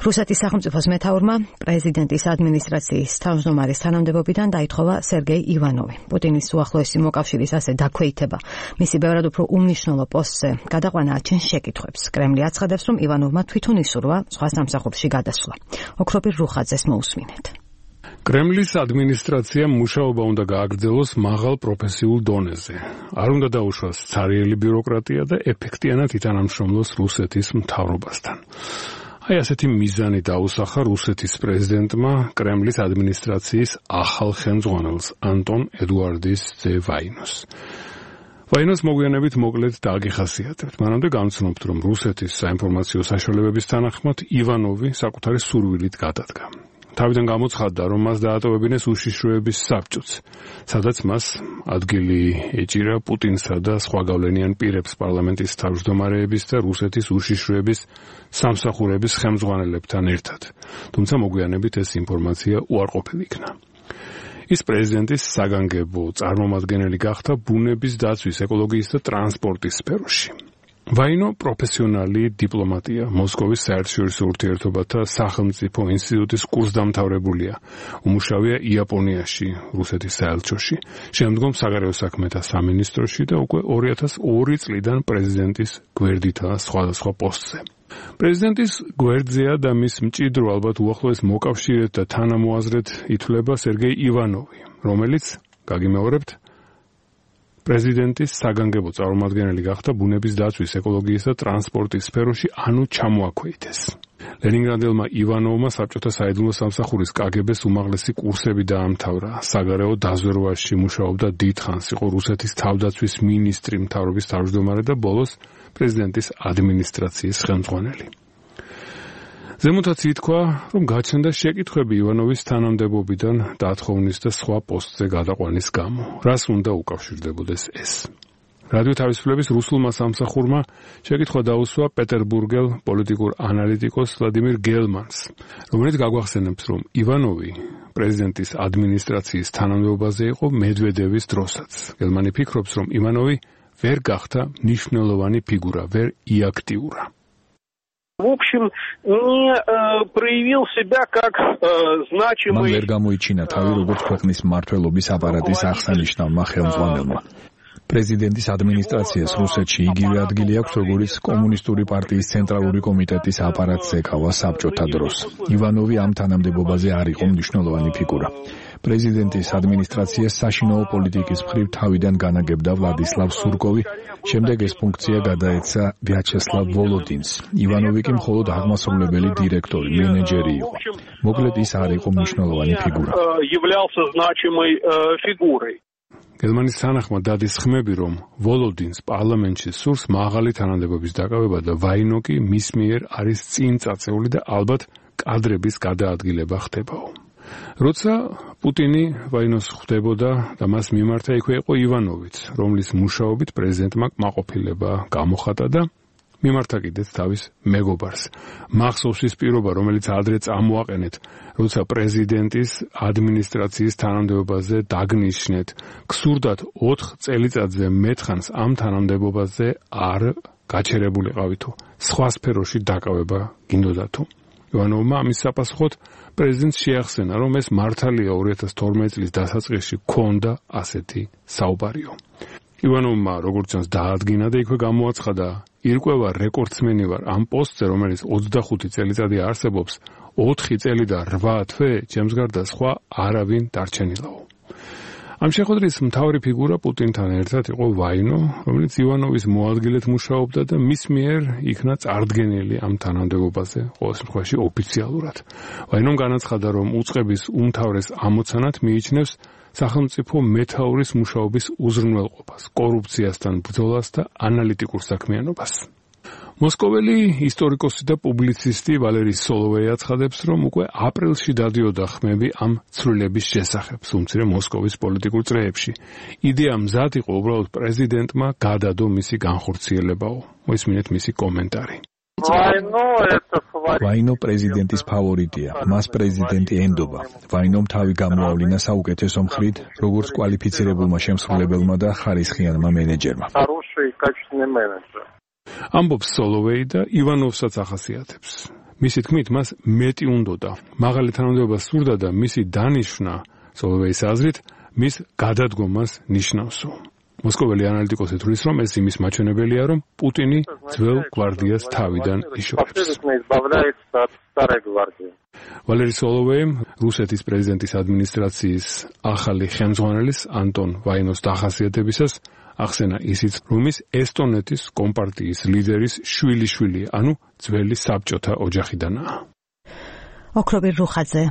რუსეთის სახელმწიფოს მეთაურმა პრეზიდენტის ადმინისტრაციის თავმჯდომარის თანამდებობიდან დაითხოვა სერგეი ივანოვი. პუტინის უახლოესი მოკავშირის ასე დაქვეითება მისი ბევრად უფრო უმნიშვნელო პოსტზე გადაყვანა აჩენს შეკითხვებს. კრემლი აცხადებს, რომ ივანოვმა თვითონ ისურვა სხვა სამსახურში გადასვლა. ოქროპირ რუხაძეს მოусმინეთ. კრემლის ადმინისტრაციამ მუშაობა უნდა გააგრძელოს მაღალ პროფესიულ დონეზე. არ უნდა დაუშვას ცარიელი ბიუროკრატია და ეფექტიანად ითანამშრომლოს რუსეთის მთავრობასთან. აი ასეთი მიზანი დაუსახა რუსეთის პრეზიდენტმა კრემლის ადმინისტრაციის ახალ ხელმძღვანელს ანტონ ედუარდის ძე ვაინოს. ვაინოს მოგვიანებით მოკლედ დააგიხასიათებთ. მანამდე გამცნობთ, რომ რუსეთის საინფორმაციო საშუალებების თანახმად ივანოვი საკუთარი სურვილით გადადგა. თავიდან გამოცხადდა, რომ მას დაატოვებინეს უშიშროების საბჭოც, სადაც მას ადგილი ეჭირა პუტინსა და სხვა გავლენიან პირებს პარლამენტის თავმჯდომარეების და რუსეთის უშიშროების სამსახურების ხელმძღვანელებთან ერთად. თუმცა მოგვიანებით ეს ინფორმაცია უარყოფილი იქნა. ის პრეზიდენტის საგანგებო წარმომადგენელი გახდა ბუნების დაცვის, ეკოლოგიის და ტრანსპორტის სფეროში. ვაინო პროფესიონალი დიპლომატია, მოსკოვის საერთაშორისო ურთიერთობათა სახელმწიფო ინსტიტუტის კურსდამთავრებულია. უმუშავია იაპონიაში, რუსეთის საელჩოში, შემდგომ საგარეო საქმეთა სამინისტროში და უკვე 2002 წლიდან პრეზიდენტის გვერდითაა სხვადასხვა პოსტზე. პრეზიდენტის გვერდზეა და მის მჭიდრო ალბათ უახლოეს მოკავშირედ და თანამოაზრედ ითვლება სერგეი ივანოვი, რომელიც, გაგიმეორებთ, პრეზიდენტის საგანგებო წარმომადგენელი გახდა ბუნების დაცვის, ეკოლოგიის და ტრანსპორტის სფეროში, ანუ ჩამოაქვეითეს. ლენინგრადელმა ივანოვმა საბჭოთა საიდუმლო სამსახურის კგბ-ს უმაღლესი კურსები დაამთავრა. საგარეო დაზვერვაში მუშაობდა დიდხანს, იყო რუსეთის თავდაცვის მინისტრი, მთავრობის თავმჯდომარე და ბოლოს პრეზიდენტის ადმინისტრაციის ხელმძღვანელი. ზემოთაც ითქვა, რომ გაჩნდა შეკითხვები ივანოვის თანამდებობიდან დათხოვნის და სხვა პოსტზე გადაყვანის გამო. რას უნდა უკავშირდებოდეს ეს? რადიო თავისუფლების რუსულმა სამსახურმა შეკითხვა დაუსვა პეტერბურგელ პოლიტიკურ ანალიტიკოს ვლადიმირ გელმანს, რომელიც გაგვახსენებს, რომ ივანოვი პრეზიდენტის ადმინისტრაციის თანამდებობაზე იყო მედვედევის დროსაც. გელმანი ფიქრობს, რომ ივანოვი ვერ გახდა მნიშვნელოვანი ფიგურა, ვერ იაქტიურა. В общем, не проявил себя как значимый. მან ვერ გამოიჩინა თავი როგორც ქვეყნის მმართველობის აპარატის აღსანიშნავმა ხელმძღვანელმა. პრეზიდენტის ადმინისტრაციას რუსეთში იგივე ადგილი აქვს, როგორც კომუნისტური პარტიის ცენტრალური კომიტეტის აპარატს ეკავა საბჭოთა დროს. ივანოვი ამ თანამდებობაზე არ იყო მნიშვნელოვანი ფიგურა. პრეზიდენტის ადმინისტრაციას საშინაო პოლიტიკის მხრივ თავიდან განაგებდა ვლადისლავ სურკოვი, შემდეგ ეს ფუნქცია გადაეცა ვიაჩესლავ ვოლოდინს. ივანოვი კი მხოლოდ აღმასრულებელი დირექტორი, მენეჯერი იყო. მოკლედ ის არ იყო მნიშვნელოვანი ფიგურა. გელმანის თანახმად დადის ხმები, რომ ვოლოდინს პარლამენტში სურს მაღალი თანამდებობის დაკავება და ვაინო კი მის მიერ არის წინ წაწეული და ალბათ კადრების გადაადგილება ხდებაო. როცა პუტინი ვაინოს ხვდებოდა და მას მიმართა, იქვე იყო ივანოვიც, რომლის მუშაობით პრეზიდენტმა კმაყოფილება გამოხატა და მიმართა კიდეც თავის მეგობარს. მახსოვს ის პირობა, რომელიც ადრე წამოაყენეთ, როცა პრეზიდენტის ადმინისტრაციის თანამდებობაზე დაგნიშნეთ. გსურდათ 4 წელიწადზე მეტხანს ამ თანამდებობაზე არ გაჩერებულიყავითო. სხვა სფეროში დაკავება გინდოდათო. ივანოვმა ამის საპასუხოდ პრეზიდენტს შეახსენა, რომ ეს მართალია 2012 წლის დასაწყისში ქონდა ასეთი საუბარიო. ივანოვმა როგორც ჩანს დაადგინა და იქვე გამოაცხადა, ირკვევა რეკორდსმენი ვარ ამ პოსტზე, რომელიც 25 წელიწადი არსებობს, 4 წელი და 8 თვე ჩემს გარდა სხვა არავინ დარჩენილაო. ამ შეხვედრის მთავარი ფიგურა პუტინთან ერთად იყო ვაინო, რომელიც ივანოვის მოადგილედ მუშაობდა და მის მიერ იქნა წარდგენილი ამ თანამდებობაზე, ყოველ შემთხვევაში ოფიციალურად. ვაინომ განაცხადა, რომ უწყების უმთავრეს ამოცანად მიიჩნევს სახელმწიფო მეთაურის მუშაობის უზრუნველყოფას, კორუფციასთან ბრძოლას და ანალიტიკურ საქმიანობას. მოსკოველი ისტორიკოსი და პუბლიცისტი ვალერი სოლოვეი აცხადებს, რომ უკვე აპრილში დადიოდა ხმები ამ ცვლილების შესახებ, უმცირე მოსკოვის პოლიტიკურ წრეებში. იდეა მზად იყო უბრალოდ პრეზიდენტმა გადადო მისი განხორციელებაო. მოისმინეთ მისი კომენტარი. ვაინო პრეზიდენტის ფავორიტია, მას პრეზიდენტი ენდობა. ვაინომ თავი გამოავლინა საუკეთესო მხრით, როგორც კვალიფიცირებულმა შემსრულებელმა და ხარისხიანმა მენეჯერმა. ამბობს სოლოვეი და ივანოვსაც ახასიათებს. მისი თქმით, მას მეტი უნდოდა. მაღალი თანამდებობა სურდა და მისი დანიშვნა, სოლოვეის აზრით, მის გადადგომას ნიშნავსო. მოსკოველი ანალიტიკოსი თვლის, რომ ეს იმის მაჩვენებელია, რომ პუტინი ძველ გვარდიას თავიდან იშორებს. ვალერი სოლოვეიმ რუსეთის პრეზიდენტის ადმინისტრაციის ახალი ხელმძღვანელის ანტონ ვაინოს დახასიათებისას ახსენა ისიც, რომ ის ესტონეთის კომპარტიის ლიდერის შვილიშვილი, ანუ ძველი საბჭოთა ოჯახიდანაა. ოქრობիր რუხაძე